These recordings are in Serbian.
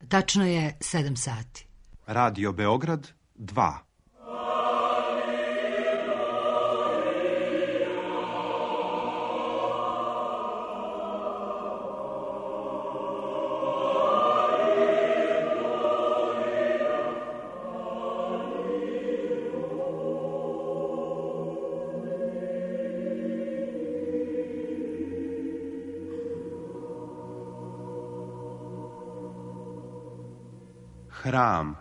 Tačno je 7 sati. Radio Beograd 2. Hram.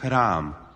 Hram.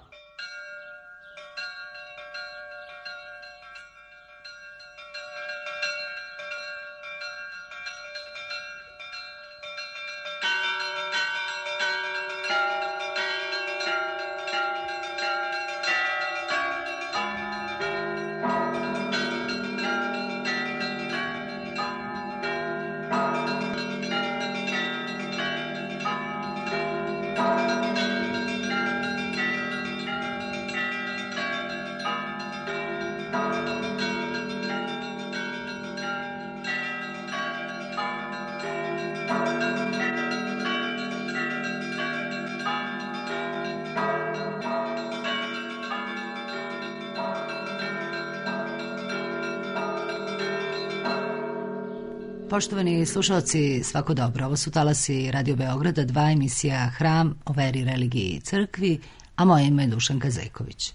Poštovani slušalci, svako dobro. Ovo su talasi Radio Beograda 2, emisija Hram o veri, religiji i crkvi, a moje ime je Dušanka Zejković.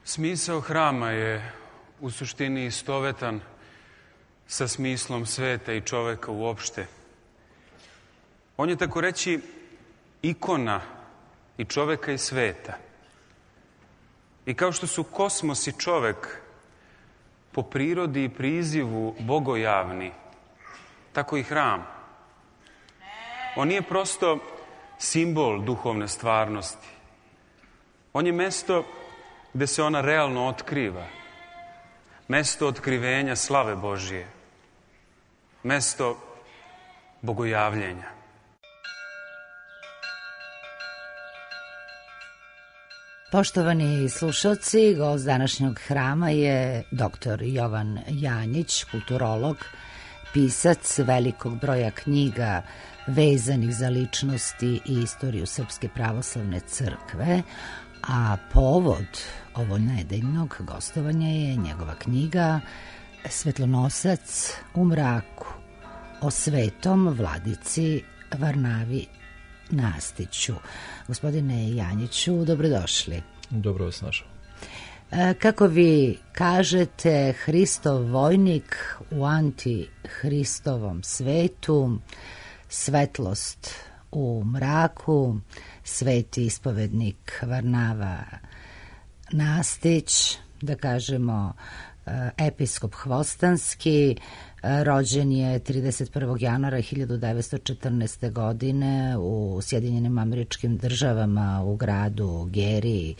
Smisao hrama je u suštini istovetan sa smislom sveta i čoveka uopšte. On je, tako reći, ikona i čoveka i sveta. I kao što su kosmos i čovek po prirodi i prizivu bogojavni, tako i hram. On nije prosto simbol duhovne stvarnosti. On je mesto gde se ona realno otkriva. Mesto otkrivenja slave Božije. Mesto bogojavljenja. Poštovani slušalci, gost današnjeg hrama je dr. Jovan Janjić, kulturolog, pisac velikog broja knjiga vezanih za ličnosti i istoriju Srpske pravoslavne crkve, a povod ovo nedeljnog gostovanja je njegova knjiga Svetlonosac u mraku o svetom vladici Varnavi Nastiću. Gospodine Janjiću, dobrodošli. Dobro vas našao. Kako vi kažete, Hristov vojnik u antihristovom svetu, svetlost u mraku, sveti ispovednik Varnava Nastić, da kažemo episkop Hvostanski, rođen je 31. januara 1914. godine u Sjedinjenim Američkim Državama u gradu Geri,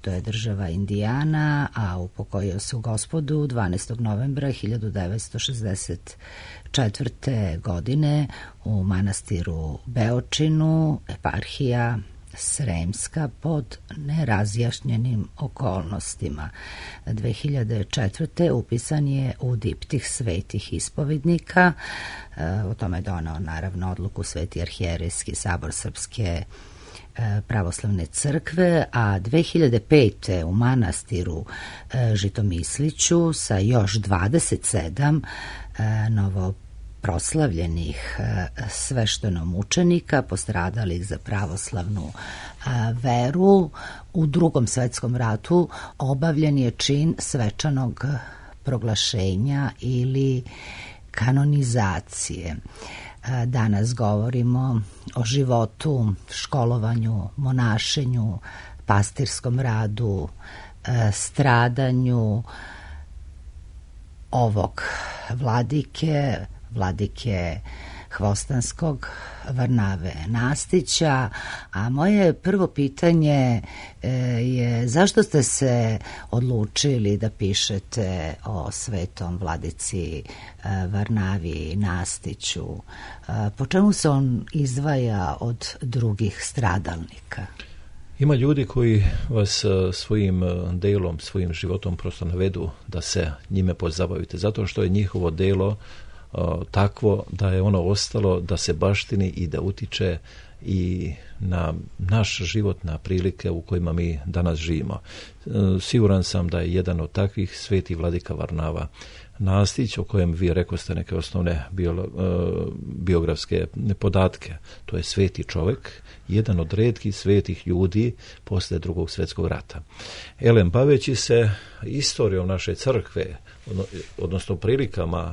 to je država Indijana, a upokojio se u Gospodu 12. novembra 1964. godine u manastiru Beočinu, eparhija Sremska, pod nerazjašnjenim okolnostima. 2004. upisan je u diptih svetih ispovednika. O tome je donao naravno odluku Sveti arhijerejski sabor Srpske pravoslavne crkve, a 2005. u manastiru Žitomisliću sa još 27 novoproslavljenih sveštenomučenika postradalih za pravoslavnu veru u Drugom svetskom ratu obavljen je čin svečanog proglašenja ili kanonizacije. Danas govorimo o životu, školovanju, monašenju, pastirskom radu, stradanju ovog vladike Hvostanskog, Varnave Nastića. A moje prvo pitanje je zašto ste se odlučili da pišete o svetom vladici Varnavi Nastiću? Po čemu se on izdvaja od drugih stradalnika? Ima ljudi koji vas svojim delom, svojim životom prosto navedu da se njime pozabavite, zato što je njihovo delo takvo da je ono ostalo da se baštini i da utiče i na naš život, na prilike u kojima mi danas živimo. Siguran sam da je jedan od takvih sveti vladika Varnava Nastić, o kojem vi rekoste neke osnovne biografske podatke. To je sveti čovjek, jedan od retkih svetih ljudi posle Drugog svjetskog rata. Baveći se istorijom naše crkve, odnosno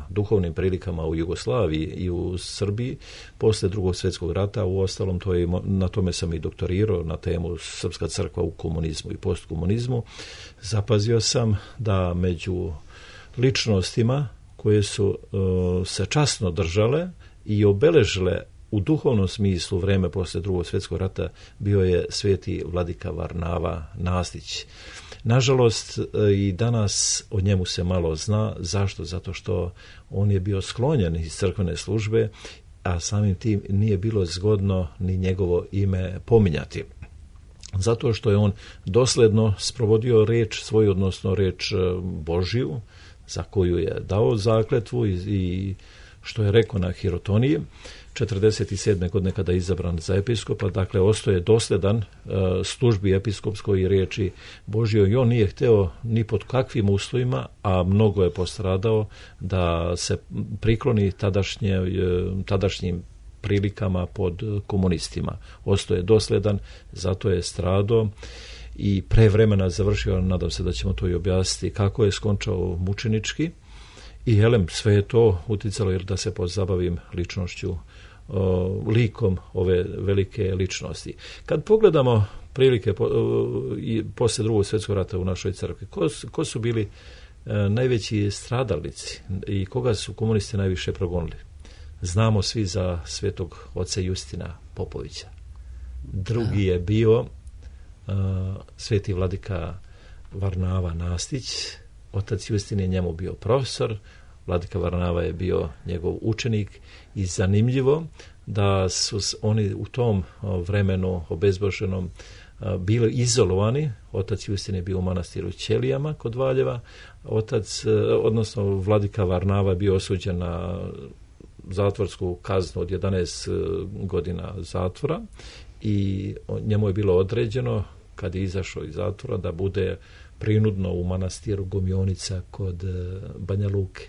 duhovnim prilikama u Jugoslaviji i u Srbiji posle Drugog svjetskog rata, u ostalom na tome sam i doktorirao na temu Srpska crkva u komunizmu i postkomunizmu, zapazio sam da među ličnostima koje su se časno držale i obeležile u duhovnom smislu vreme posle Drugog svjetskog rata bio je sveti vladika Varnava Nastić. Nažalost, i danas o njemu se malo zna. Zašto? Zato što on je bio sklonjen iz crkvene službe, a samim tim nije bilo zgodno ni njegovo ime pominjati. Zato što je on dosledno sprovodio reč svoju, odnosno reč Božiju, za koju je dao zakletvu i što je rekao na Hirotoniji 47. godine kada je izabran za episkopa. Dakle, ostaje dosledan službi episkopskoj i riječi Božjoj i on nije hteo ni pod kakvim uslovima, a mnogo je postradao, da se prikloni tadašnjim prilikama pod komunistima. Ostaje dosledan, zato je stradao i pre vremena završio, nadam se da ćemo to i objasniti, kako je skončao mučenički. I sve je to uticalo jer da se pozabavim ličnošću, likom ove velike ličnosti. Kad pogledamo prilike posle Drugog svjetskog rata u našoj crkvi, ko su bili najveći stradalnici i koga su komunisti najviše progonili? Znamo svi za svetog oca Justina Popovića. Drugi je bio sveti vladika Varnava Nastić. Otac Justin je njemu bio profesor, vladika Varnava je bio njegov učenik i zanimljivo da su oni u tom vremenu obezboženom bili izolovani. Otac Justin je bio u manastiru Ćelijama kod Valjeva. Odnosno vladika Varnava je bio osuđen na zatvorsku kaznu od 11 godina zatvora i njemu je bilo određeno kad je izašao iz zatvora da bude prinudno u manastiru Gomionica kod Banja Luke.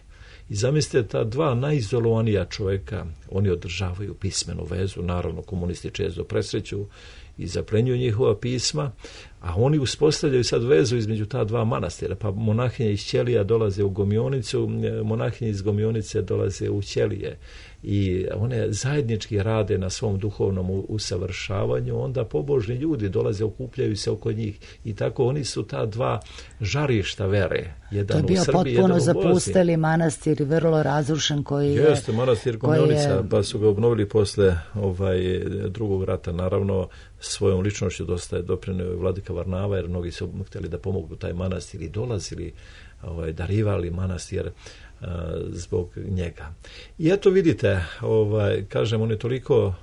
I zamislite, ta dva najizolovanija čovjeka, oni održavaju pismenu vezu, naravno komunisti često presreću i zaplenjuju njihova pisma, a oni uspostavljaju sad vezu između ta dva manastira, pa monahinje iz Ćelija dolaze u Gomionicu, monahinje iz Gomionice dolaze u Ćelije i one zajednički rade na svom duhovnom usavršavanju, onda pobožni ljudi dolaze, okupljaju se oko njih i tako oni su ta dva žarišta vere. Jedan to je bio u Srbiji, potpuno zapusteli manastir, vrlo razrušen koji je... Jeste, manastir Gomionica, pa su ga obnovili posle Drugog rata, naravno svojom ličnošću dosta je doprineo vladika vladika Varnava, jer mnogi su htjeli da pomognu taj manastir i dolazili, darivali manastir zbog njega. I eto vidite, kažem, on je toliko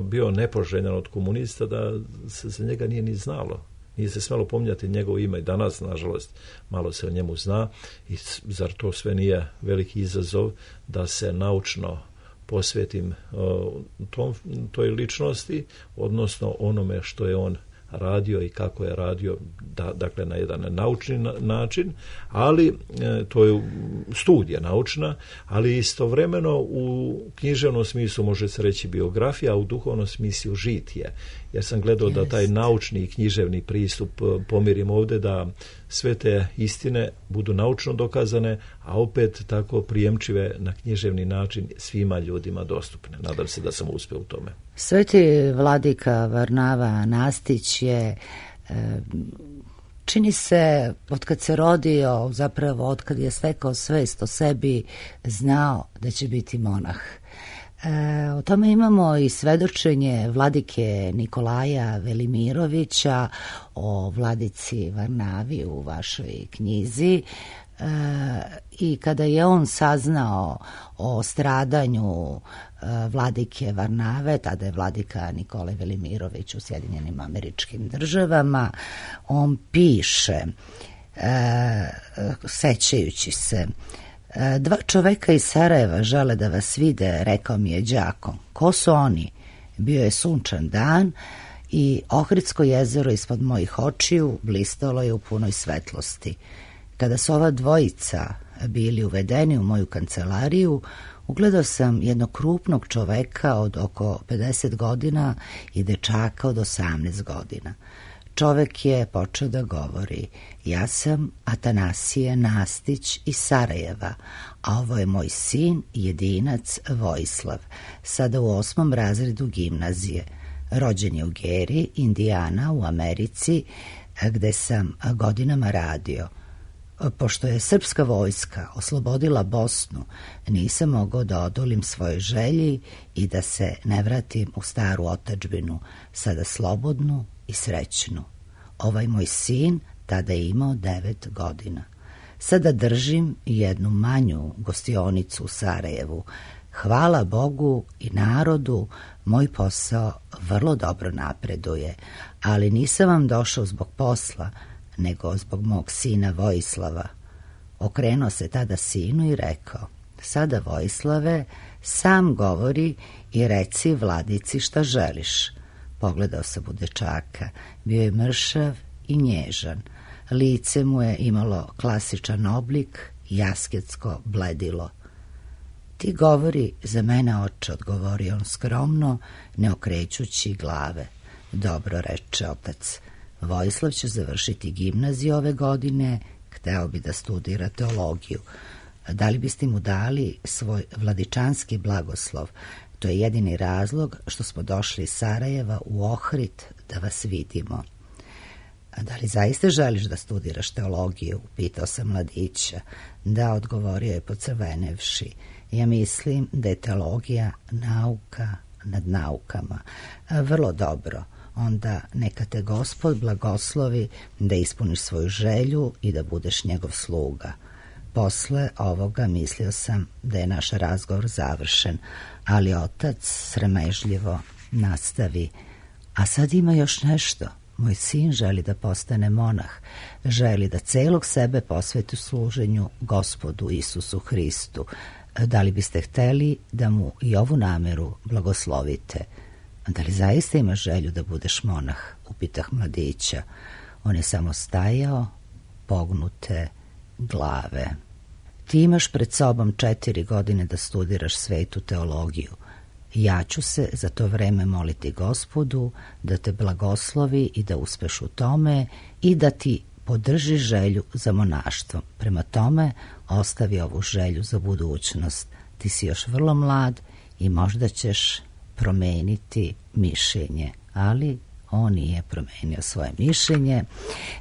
bio nepoželjan od komunista da se za njega nije ni znalo. Nije se smjelo pominjati njegovo ime i danas, nažalost, malo se o njemu zna i zar to sve nije veliki izazov da se naučno posvetim toj ličnosti, odnosno onome što je on radio i kako je radio, dakle na jedan naučni način, ali to je studija naučna, ali istovremeno u književnom smislu može se reći biografija, a u duhovnom smislu žitije. Ja sam gledao da taj naučni i književni pristup pomirim ovdje, da sve te istine budu naučno dokazane, a opet tako prijemčive na književni način svima ljudima dostupne. Nadam se da sam uspio u tome. Sveti vladika Varnava Nastić je, čini se, otkad se rodio, zapravo otkad je stekao svest o sebi, znao da će biti monah. O tome imamo i svedočenje vladike Nikolaja Velimirovića o vladici Varnavi u vašoj knjizi. I kada je on saznao o stradanju vladike Varnave, tada je vladika Nikolaj Velimirović u Sjedinjenim Američkim Državama, on piše, sećajući se: dva čoveka iz Sarajeva žele da vas vide, rekao mi je đako. Ko su oni? Bio je sunčan dan i Ohridsko jezero ispod mojih očiju blistalo je u punoj svetlosti. Kada su ova dvojica bili uvedeni u moju kancelariju, ugledao sam jednog krupnog čoveka od oko 50 godina i dečaka od 18 godina. Čovek je počeo da govori: ja sam Atanasije Nastić iz Sarajeva, a ovo je moj sin, jedinac Vojislav, sada u 8. razredu gimnazije. Rođen je u Geri, Indijana, u Americi, gde sam godinama radio. Pošto je srpska vojska oslobodila Bosnu, nisam mogao da odolim svojoj želji i da se ne vratim u staru otadžbinu, sada slobodnu i srećnu. Ovaj moj sin tada je imao 9 godina. Sada držim jednu manju gostionicu u Sarajevu. Hvala Bogu i narodu, moj posao vrlo dobro napreduje, ali nisam vam došao zbog posla, nego zbog mog sina Vojislava. Okrenuo se tada sinu i rekao: sada, Vojislave, sam govori i reci vladici šta želiš. Pogledao sam u dečaka, bio je mršav i nježan. Lice mu je imalo klasičan oblik, jasketsko bledilo. Ti govori za mene, oče, odgovorio on skromno, ne okrećući glave. Dobro, reče otac. Vojislav će završiti gimnaziju ove godine, hteo bi da studira teologiju. Da li biste mu dali svoj vladičanski blagoslov? To je jedini razlog što smo došli iz Sarajeva u Ohrid da vas vidimo. A da li zaista želiš da studiraš teologiju? Pitao sam mladića. Da, odgovorio je pocrvenevši. Ja mislim da je teologija nauka nad naukama. Vrlo dobro. Onda neka te Gospod blagoslovi da ispuniš svoju želju i da budeš njegov sluga. Posle ovoga mislio sam da je naš razgovor završen, ali otac sramežljivo nastavi: a sad ima još nešto. Moj sin želi da postane monah, želi da celog sebe posveti služenju Gospodu Isusu Hristu. Da li biste hteli da mu i ovu nameru blagoslovite? Da li zaista imaš želju da budeš monah? Upitah mladića. On je samo stajao, pognute glave. Ti imaš pred sobom 4 godine da studiraš svetu teologiju. Ja ću se za to vreme moliti Gospodu da te blagoslovi i da uspeš u tome i da ti podrži želju za monaštvom. Prema tome, ostavi ovu želju za budućnost. Ti si još vrlo mlad i možda ćeš promeniti mišljenje, ali on nije promenio svoje mišljenje.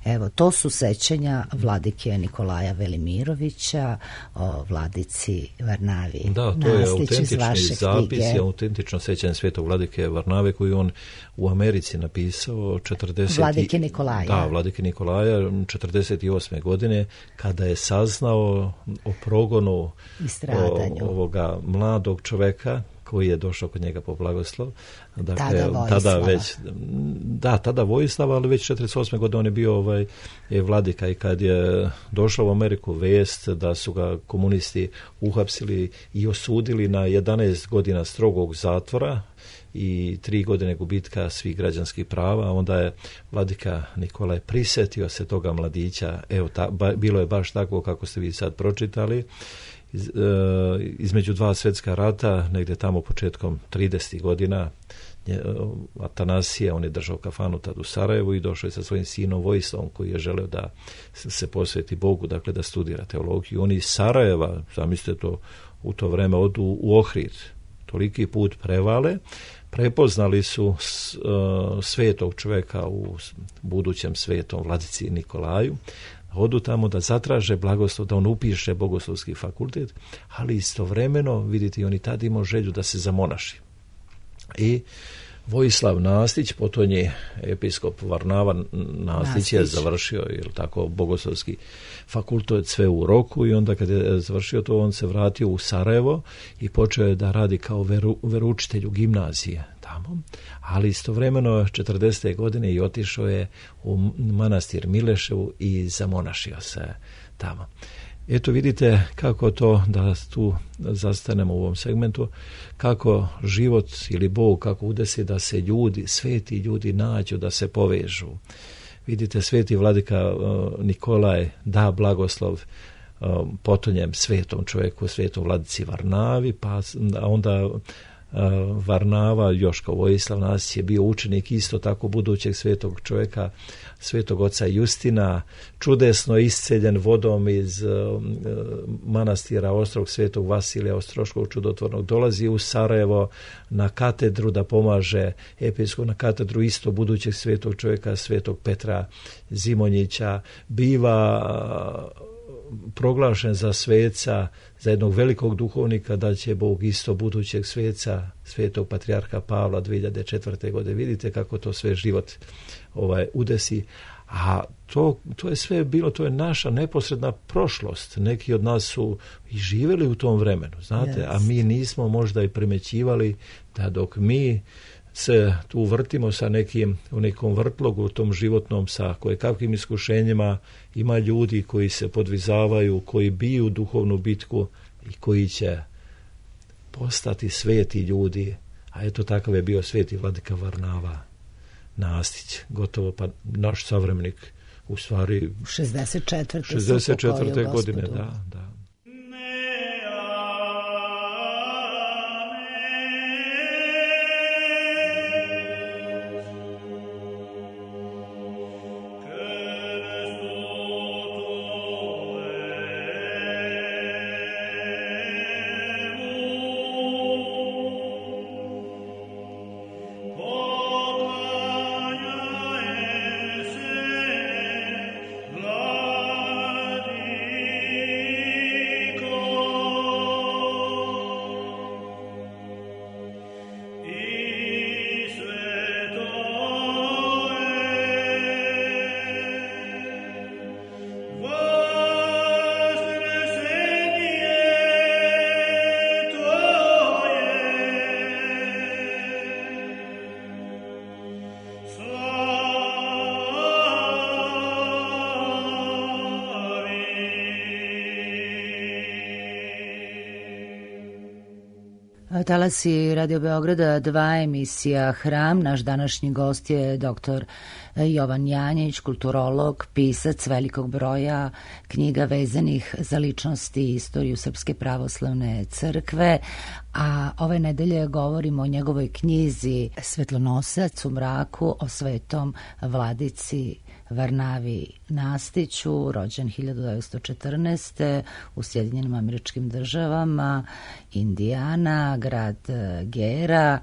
Evo, to su sećanja vladike Nikolaja Velimirovića o vladici Varnavi. Da, to je autentični zapis i autentično sećanje svetog vladike Varnave koju on u Americi napisao Vladike Nikolaja. Da, vladike Nikolaja 48. godine kada je saznao o progonu ovoga mladog čoveka koji je došao kod njega po blagoslov. Dakle, tada Vojislava, ali već 48. godine on je bio vladika i kad je došao u Ameriku vest da su ga komunisti uhapsili i osudili na 11 godina strogog zatvora i 3 godine gubitka svih građanskih prava, onda je vladika Nikolaj prisetio se toga mladića. Evo, bilo je baš tako kako ste vi sad pročitali. Između 2 svjetska rata, negdje tamo početkom 30. godina, Atanasije, on je držao kafanu tad u Sarajevu i došao je sa svojim sinom Vojislavom koji je želeo da se posveti Bogu, dakle da studira teologiju. Oni iz Sarajeva, zamislite to, u to vreme odu u Ohrid, toliki put prevale, prepoznali su svetog čovjeka u budućem svetom vladici Nikolaju, odu tamo da zatraže blagoslov, da on upiše bogoslovski fakultet, ali istovremeno, vidite, oni tad imao želju da se zamonaši. I Vojislav Nastić, potonji episkop Varnava Nastić je završio tako bogoslovski fakultet sve u roku i onda kad je završio to, on se vratio u Sarajevo i počeo je da radi kao veroučitelj u gimnazije tamo, ali istovremeno 40. godine i otišao je u manastir Mileševu i zamonašio se tamo. Eto vidite kako to, da tu zastanemo u ovom segmentu, kako život ili Bog, kako udesi da se ljudi, sveti ljudi nađu, da se povežu. Vidite, sveti vladika Nikolaj da blagoslov potonjem svetom čovjeku, svetom vladici Varnavi, pa onda Varnava, Joško Vojislav Nastić je bio učenik isto tako budućeg svetog čovjeka, svetog oca Justina, čudesno isceljen vodom iz manastira Ostrog svetog Vasilija Ostroškog čudotvornog, dolazi u Sarajevo na katedru da pomaže episkop, na katedru isto budućeg svetog čovjeka, svetog Petra Zimonjića, biva proglašen za sveca, za jednog velikog duhovnika, da će Bog isto budućeg sveca, svetog patrijarha Pavla 2004. godine. Vidite kako to sve život udesi. A to je sve bilo, to je naša neposredna prošlost. Neki od nas su i živjeli u tom vremenu, znate, a mi nismo možda i primećivali da dok mi se tu vrtimo sa u nekom vrtlogu u tom životnom sa kojekakvim iskušenjima, ima ljudi koji se podvizavaju, koji biju duhovnu bitku i koji će postati sveti ljudi. A eto takav je bio sveti vladika Varnava Nastić, gotovo pa naš savremenik, u stvari 64. godine, da. Talasi Radio Beograda, 2 emisija Hram. Naš današnji gost je dr. Jovan Janjić, kulturolog, pisac velikog broja knjiga vezanih za ličnosti i istoriju Srpske pravoslavne crkve, a ove nedelje govorimo o njegovoj knjizi Svetlonosac u mraku, o svetom vladici Varnavi Nastiću, rođen 1914. u Sjedinjenim Američkim Državama, Indijana, grad Gera,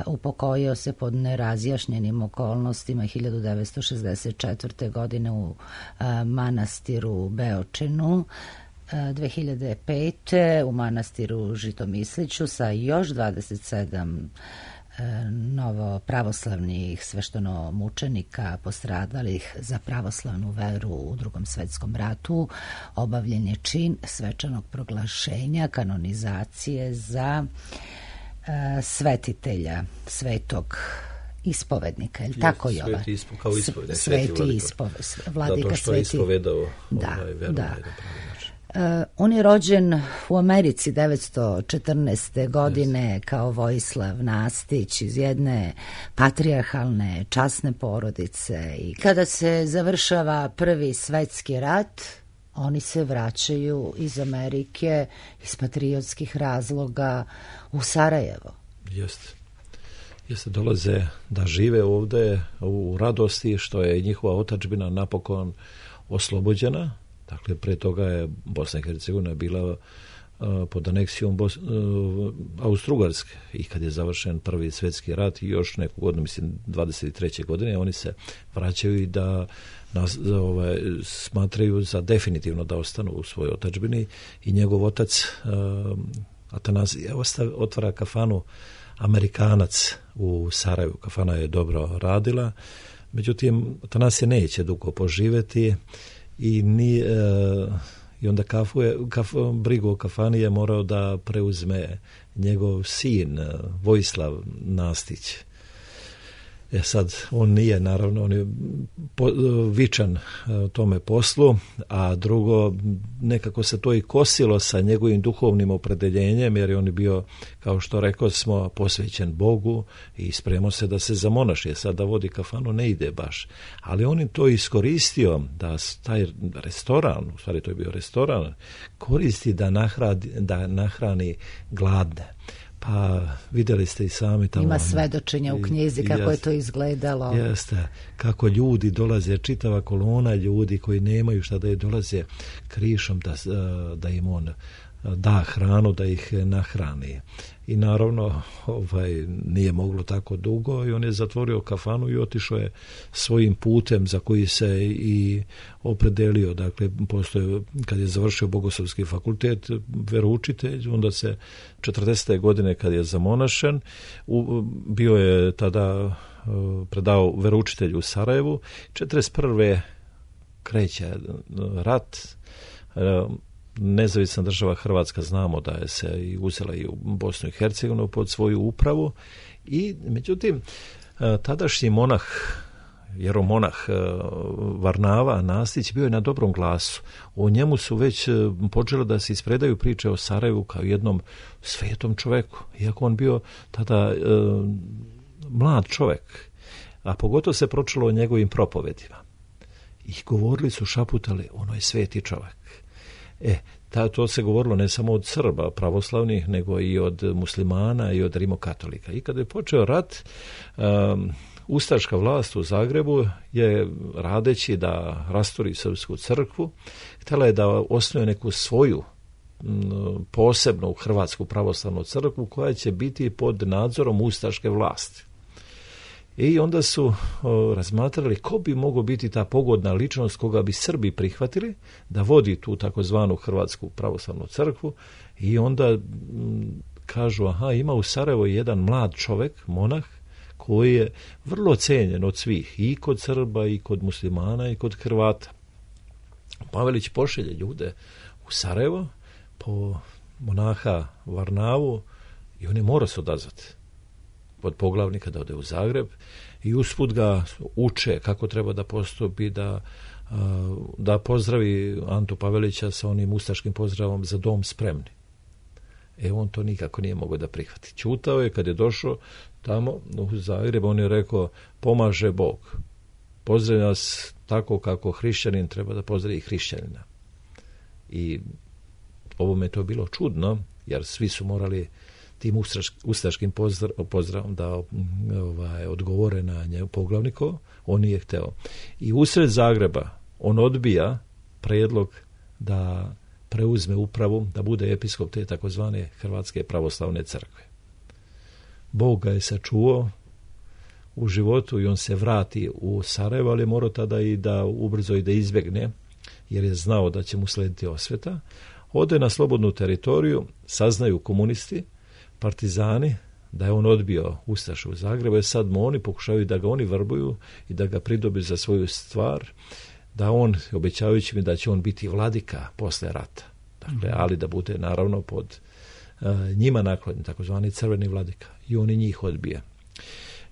upokojio se pod nerazjašnjenim okolnostima 1964. godine u manastiru Beočinu, 2005. u manastiru Žitomisliću sa još 27 novo pravoslavnih sveštenomučenika postradalih za pravoslavnu veru u Drugom svetskom ratu. Obavljen je čin svečanog proglašenja kanonizacije za svetitelja, svetog ispovednika, je li tako, Jovan? Kao ispovednik. Vladika zato što je ispovedao veru da. On je rođen u Americi 914. godine kao Vojislav Nastić iz jedne patrijarhalne, časne porodice, i kada se završava Prvi svetski rat, oni se vraćaju iz Amerike iz patriotskih razloga u Sarajevo. Jeste, dolaze da žive ovdje u radosti što je njihova otadžbina napokon oslobođena. Dakle, pre toga je Bosna i Hercegovina bila pod aneksijom Austro-Ugarske, i kad je završen Prvi svjetski rat i još neku godinu, mislim 23. godine, oni se vraćaju i da smatraju za definitivno da ostanu u svojoj otadžbini, i njegov otac Atanazije otvara kafanu Amerikanac u Sarajevu. Kafana je dobro radila, međutim Atanasije neće dugo poživjeti i onda brigu o kafani je morao da preuzme njegov sin Vojislav Nastić. Sad, on nije, naravno, on je vičan tome poslu, a drugo, nekako se to i kosilo sa njegovim duhovnim opredeljenjem, jer je on bio, kao što rekao smo, posvećen Bogu i spremao se da se zamonaši. Sad da vodi kafanu ne ide baš. Ali on je to iskoristio da taj restoran, u stvari to je bio restoran, koristi da nahrani gladne. Pa vidjeli ste i sami tamo. Ima svedočenja u knjizi kako je to izgledalo. Jeste, kako ljudi dolaze, čitava kolona ljudi koji nemaju šta da je, dolaze krišom da im on da hranu, da ih nahrani. I naravno nije moglo tako dugo i on je zatvorio kafanu i otišao je svojim putem za koji se i opredelio. Dakle, postoje, kad je završio Bogoslovski fakultet, veroučitelj, onda se 40. godine kad je zamonašen, bio je tada predao veroučitelju u Sarajevu. 41. kreće rat. Nezavisna država Hrvatska, znamo da je se i uzela i u Bosnu i Hercegovinu pod svoju upravu, i međutim tadašnji monah, jeromonah Varnava Nastić bio je na dobrom glasu. O njemu su već počele da se ispredaju priče o Sarajevu kao jednom svetom čoveku, iako on bio tada mlad čovek, a pogotovo se pročilo o njegovim propovedima. I govorili su, šaputali, ono je sveti čovek. To se govorilo ne samo od Srba pravoslavnih, nego i od muslimana i od rimokatolika. I kada je počeo rat, ustaška vlast u Zagrebu je, radeći da rasturi srpsku crkvu, htjela je da osnuje neku svoju posebnu hrvatsku pravoslavnu crkvu koja će biti pod nadzorom ustaške vlasti. I onda su razmatrali ko bi mogao biti ta pogodna ličnost koga bi Srbi prihvatili da vodi tu takozvanu Hrvatsku pravoslavnu crkvu, i onda kažu, ima u Sarajevu jedan mlad čovek, monah, koji je vrlo cenjen od svih, i kod Srba, i kod muslimana, i kod Hrvata. Pavelić pošelje ljude u Sarajevo po monaha Varnavu i on je mora se odazvati pod poglavnika da ode u Zagreb, i usput ga uče kako treba da postupi, da pozdravi Antu Pavelića sa onim ustaškim pozdravom za dom spremni. On to nikako nije mogao da prihvati. Ćutao je. Kad je došao tamo u Zagreb, on je rekao, pomaže Bog. Pozdravlja nas tako kako hrišćanin treba da pozdravi hrišćanina. I ovome je to bilo čudno, jer svi su morali tim ustaškim pozdravom da odgovore na nje poglavniko, on nije hteo. I usred Zagreba on odbija predlog da preuzme upravu, da bude episkop te takozvane Hrvatske pravoslavne crkve. Bog ga je sačuvao u životu i on se vrati u Sarajevo, ali je morao tada i da ubrzo i da izbjegne, jer je znao da će mu slediti osveta. Ode na slobodnu teritoriju, saznaju komunisti, partizani, da je on odbio ustaše u Zagrebu, i sad mu oni pokušavaju da ga oni vrbuju i da ga pridobi za svoju stvar, da on, obećavajući mi da će on biti vladika posle rata. Dakle, ali da bude naravno pod njima naklonjen, takozvani crveni vladika. I on i njih odbija.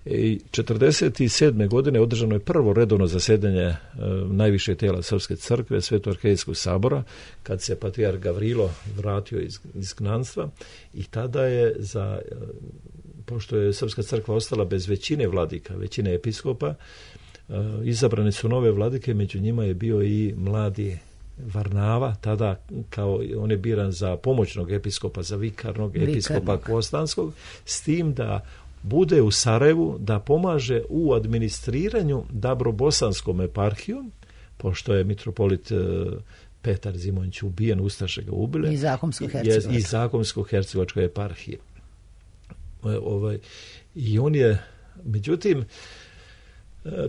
I 1947. godine održano je prvo redovno zasjedanje najviše tijela Srpske crkve, Svetoarhijskog sabora, kad se patrijarh Gavrilo vratio iz izgnanstva, i tada je pošto je Srpska crkva ostala bez većine vladika, većine episkopa, izabrane su nove vladike, među njima je bio i mladi Varnava, tada kao on je biran za pomoćnog episkopa, za vikarnog episkopa Kostanskog, s tim da bude u Sarajevu, da pomaže u administriranju Dabrobosanskom eparhijom, pošto je mitropolit Petar Zimonjić ubijen, ustaše ga ubile, i Zakomsko-hercegovačkoj eparhiji. I on je, međutim,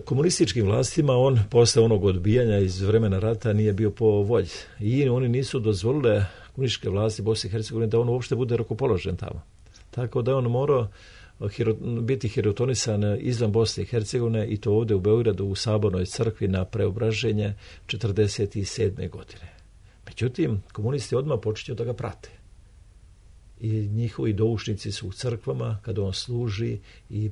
komunističkim vlastima on posle onog odbijanja iz vremena rata nije bio po volji. I oni nisu dozvolile komunističke vlasti Bosne i Hercegovine da on uopšte bude rukopoložen tamo. Tako da on morao biti hirotonisan izvan Bosne i Hercegovine, i to ovdje u Beogradu u Sabornoj crkvi na Preobraženje 1947. godine. Međutim, komunisti odmah počinju da ga prate. I njihovi doušnici su u crkvama kada on služi i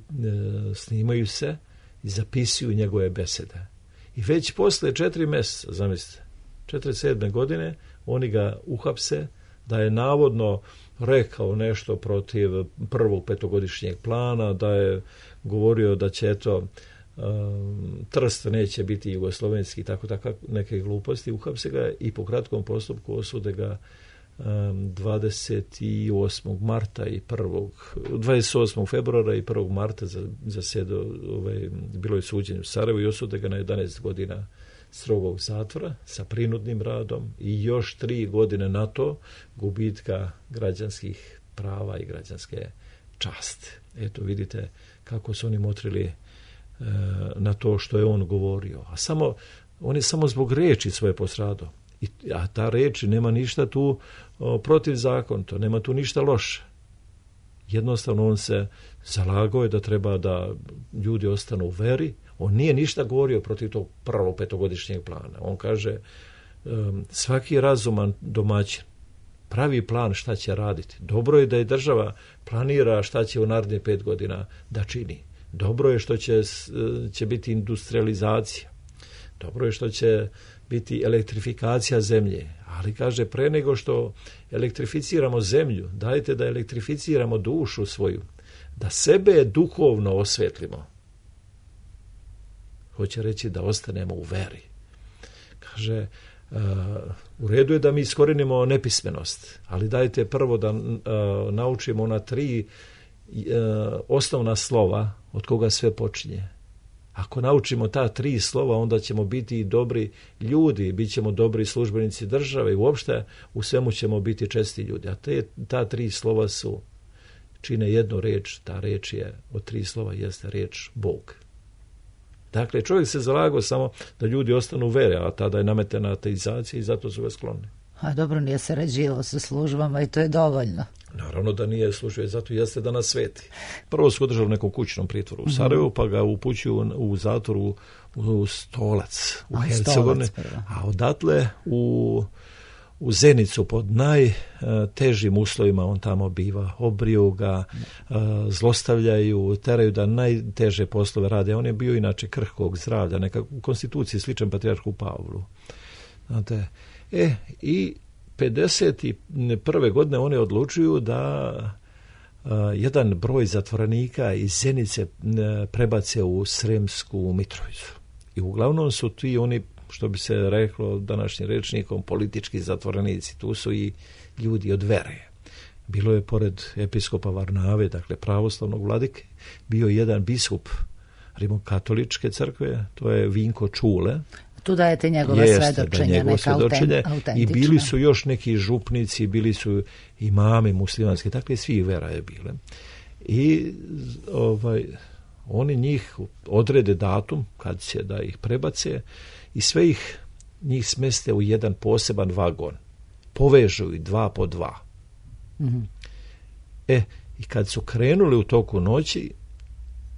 snimaju se i zapisuju njegove besede. I već posle 4 mjeseca, zamislite, 1947. godine, oni ga uhapse da je navodno rekao nešto protiv prvog petogodišnjeg plana, da je govorio da će Trst neće biti jugoslovenski, tako neke gluposti. Uhapse ga i po kratkom postupku osude ga 28. marta i 28. februara i 1. marta bilo je suđenje u Sarajevu i osude ga na 11 godina strogog zatvora sa prinudnim radom i još 3 godine na to gubitka građanskih prava i građanske časti. Eto, vidite kako su oni motrili na to što je on govorio. On je samo zbog reči svoje postradao. A ta reč nema ništa tu protivzakonito, nema tu ništa loše. Jednostavno on se zalagao je da treba da ljudi ostanu u veri. On nije ništa govorio protiv tog prvog petogodišnjeg plana. On kaže, svaki razuman domaćin pravi plan šta će raditi. Dobro je da je država planira šta će u narednih 5 godina da čini. Dobro je što će biti industrializacija. Dobro je što će biti elektrifikacija zemlje. Ali kaže, pre nego što elektrificiramo zemlju, dajte da elektrificiramo dušu svoju, da sebe duhovno osvetlimo. Hoće reći da ostanemo u veri. Kaže, u redu je da mi iskorenimo nepismenost, ali dajte prvo da naučimo ona 3 osnovna slova od koga sve počinje. Ako naučimo ta 3 slova, onda ćemo biti dobri ljudi, bit ćemo dobri službenici države i uopšte u svemu ćemo biti česti ljudi. A ta 3 slova čine jednu reč, ta reč je od 3 slova jeste reč Bog. Dakle, čovjek se zalagao samo da ljudi ostanu u vere, a tada je nametena ateizacija i zato su ga skloni. A dobro, nije sarađivao sa službama i to je dovoljno. Naravno da nije služio, zato jeste da nas sveti. Prvo su održali u nekom kućnom pritvoru u Sarajevu, pa ga upućuju u zatvoru u Stolac, u Hercegovini, a odatle u Zenicu pod najtežim uslovima on tamo biva. Obriju ga, zlostavljaju, teraju da najteže poslove rade. On je bio inače krhkog zdravlja, neka u konstituciji sličan patrijarhu Pavlu. Znate, i 51. godine oni odlučuju da jedan broj zatvorenika iz Zenice prebace u Sremsku Mitrovicu. I uglavnom su ti oni, što bi se reklo današnjim rečnikom, politički zatvorenici. Tu su i ljudi od vere. bilo je pored episkopa Varnave, dakle pravoslavnog vladike, bio jedan biskup rimokatoličke crkve, to je Vinko Čule. Tu dajete njegove svedočenja, neka autentična. I bili su još neki župnici, bili su imami muslimanski, dakle svi vera je bile. I oni njih odrede datum kad će da ih prebace i sve njih smeste u jedan poseban vagon. Povežu ih 2 po 2. Mm-hmm. I kad su krenuli u toku noći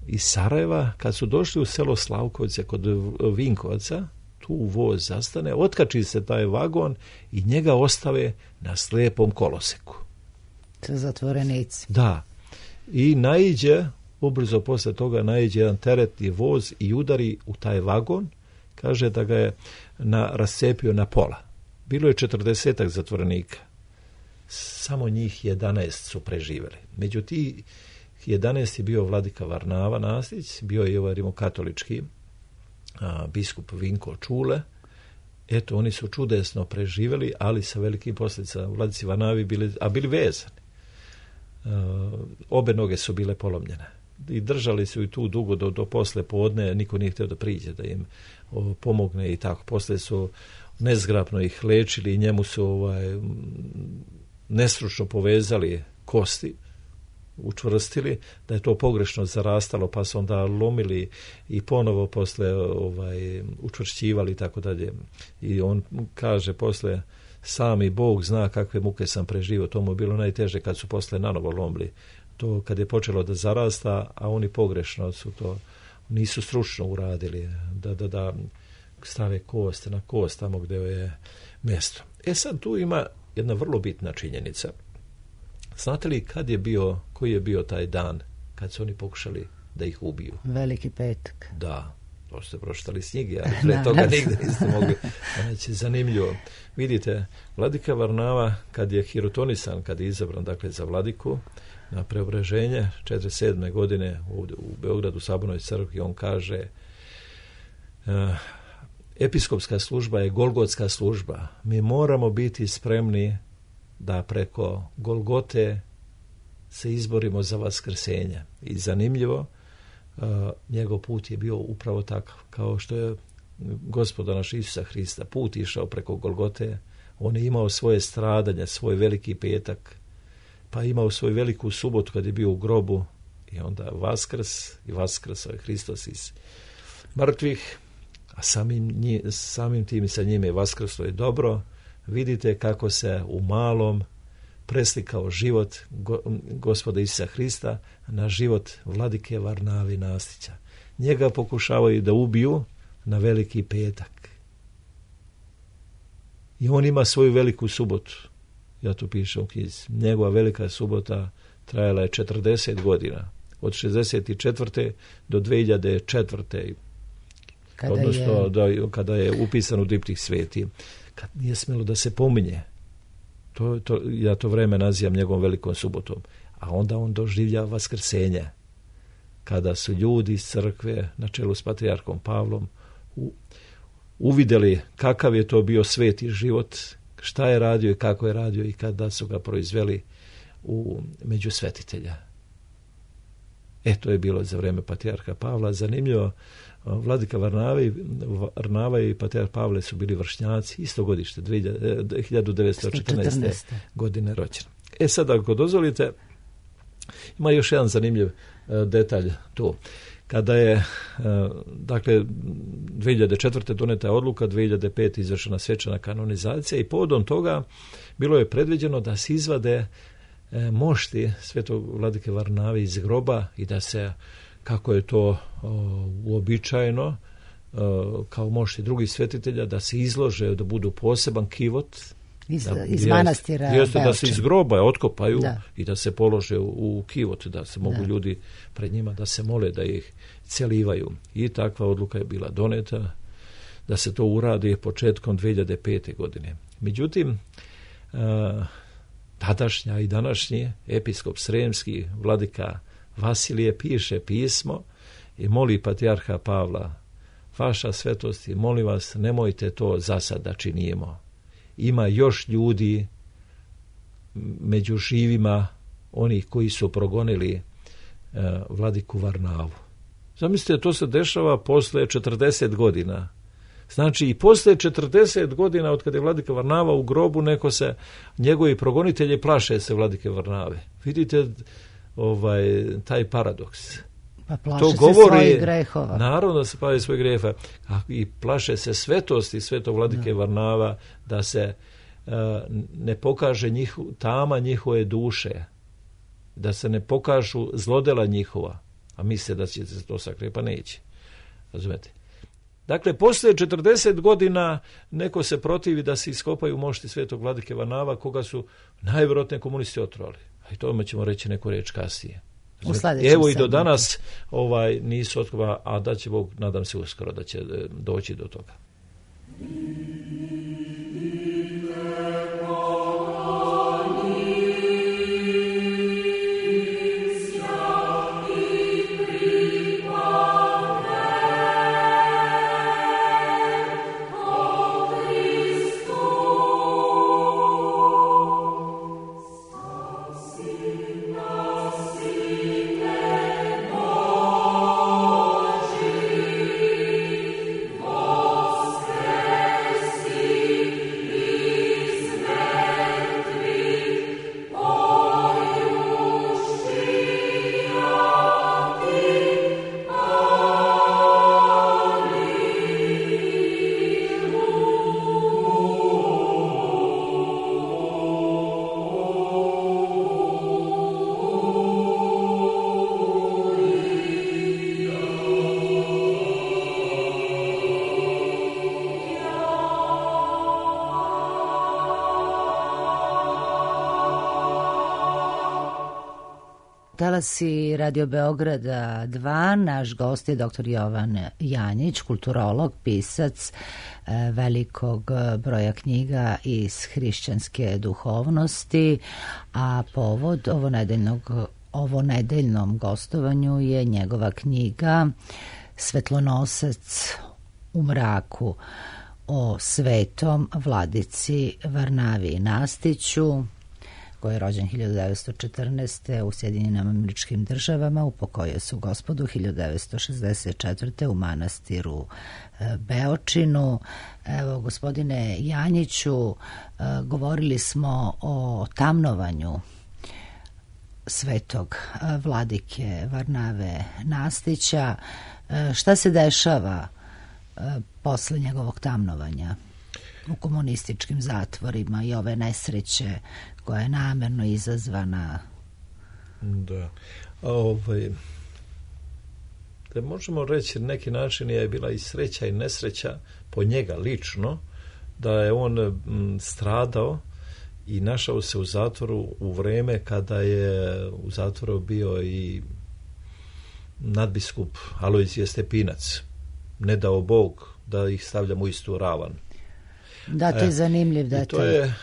iz Sarajeva, kad su došli u selo Slavkovce kod Vinkovaca, tu voz zastane, otkači se taj vagon i njega ostave na slijepom koloseku. Sa zatvorenici. Da. I ubrzo posle toga naiđe jedan teretni voz i udari u taj vagon, kaže da ga je rascepio na pola. Bilo je 40 zatvorenika. Samo njih 11 su preživjeli. Među tih 11 je bio vladika Varnava Nastić, bio je ovaj rimokatolički biskup Vinko Čule. Eto, oni su čudesno preživjeli, ali sa velikim posljedicama. Vladici Varnavi bili vezani. Obe noge su bile polomljene. I držali su i tu dugo do posle podne, niko nije htio da priđe da im pomogne i tako. Posle su nezgrapno ih lečili i njemu su nestručno povezali kosti, učvrstili, da je to pogrešno zarastalo, pa su onda lomili i ponovo posle učvršćivali i tako dalje. I on kaže posle, sami Bog zna kakve muke sam preživio, to mu je bilo najteže kad su posle nanovo lomili. To kad je počelo da zarasta, a oni pogrešno su to, nisu stručno uradili, da stave kost na kost tamo gdje je mjesto. Sad tu ima jedna vrlo bitna činjenica. Znate li koji je bio taj dan kad su oni pokušali da ih ubiju? Veliki petak. Da, to ste pročitali s knjige, ali pre toga nigde niste mogli. Znači, zanimljivo. Vidite, vladika Varnava, kad je hirotonisan, kad je izabran dakle, za vladiku na preobraženje 47. godine ovdje u Beogradu, u Sabornoj crkvi, on kaže episkopska služba je golgotska služba. Mi moramo biti spremni da preko Golgote se izborimo za vaskrsenje. I zanimljivo, njegov put je bio upravo takav, kao što je Gospoda naš Isusa Hrista put išao preko Golgote. On je imao svoje stradanje, svoj veliki petak, pa imao svoju veliku subotu kad je bio u grobu i onda vaskrsao je Hristos iz mrtvih, a samim tim sa njime vaskrslo je dobro. Vidite kako se u malom preslikao život Gospoda Isusa Hrista na život vladike Varnavi Nastića. Njega pokušavaju da ubiju na veliki petak. I on ima svoju veliku subotu. Ja to pišem u knjizi. Njegova velika subota trajala je 40 godina. Od 64. do 2004. Kada je upisan u diptih sveti. Kad nije smjelo da se pominje. Ja to vreme nazivam njegovom velikom subotom. A onda on doživlja vaskrsenje. Kada su ljudi iz crkve na čelu s patrijarhom Pavlom uvidjeli kakav je to bio sveti život, šta je radio i kako je radio i kada su ga proizveli među svetitelja. To je bilo za vreme patrijarha Pavla. Zanimljivo, vladika Varnava i patrijarh Pavle su bili vršnjaci, isto godište, 1914. godine rođena. Sad, ako dozvolite, ima još jedan zanimljiv detalj tu. Kada je, dakle, 2004. doneta je odluka, 2005. izvršena svečana kanonizacija i povodom toga bilo je predviđeno da se izvade mošti svetog vladike Varnave iz groba i da se, kako je to uobičajeno, kao mošti drugih svetitelja, da se izlože, da budu poseban kivot, iz manastira Beočin. Da se iz groba otkopaju i da se polože u kivot, da se mogu ljudi pred njima da se mole, da ih celivaju. I takva odluka je bila doneta da se to uradi početkom 2005. godine. Međutim, tadašnja i današnji episkop Sremski, vladika Vasilije, piše pismo i moli patrijarha Pavla: vaša svetosti, molim vas, nemojte to za sad da činimo. Ima još ljudi među živima onih koji su progonili vladiku Varnavu. Zamislite, to se dešava posle 40 godina. Znači i posle 40 godina od kada je vladika Varnava u grobu, neko se, njegovi progonitelji plaše se vladike Varnave. Vidite taj paradoks. Pa plaše se svojih grehova. Naravno da se plaše svojih grehova. I plaše se svetosti svetog vladike Varnava, da se ne pokaže tama njihove duše, da se ne pokažu zlodela njihova, a misle da će se to sakriti, pa neće. Razumete? Dakle, poslije 40 godina neko se protivi da se iskopaju mošti svetog vladike Varnava, koga su najvjerojatnije komunisti otrovali. A i tome ćemo reći neku reč kasnije. Evo i do danas nisu otkopali, a da će Bog, nadam se uskoro, da će doći do toga. Talasi Radio Beograda 2, naš gost je dr. Jovan Janjić, kulturolog, pisac velikog broja knjiga iz hrišćanske duhovnosti, a povod ovo nedeljnom gostovanju je njegova knjiga Svetlonosac u mraku o svetom vladici Varnavi Nastiću, koji je rođen 1914. u Sjedinjenim Američkim Državama, upokojio se u Gospodu 1964. u manastiru Beočinu. Evo, gospodine Janjiću, govorili smo o tamnovanju svetog vladike Varnave Nastića. Šta se dešava posle njegovog tamnovanja u komunističkim zatvorima i ove nesreće koja je namerno izazvana? Da. Da možemo reći, na neki način je bila i sreća i nesreća po njega lično, da je on stradao i našao se u zatvoru u vreme kada je u zatvoru bio i nadbiskup Alojzije Stepinac. Ne dao Bog da ih stavljamo u istu ravan. Da, to je zanimljiv detalj. To je...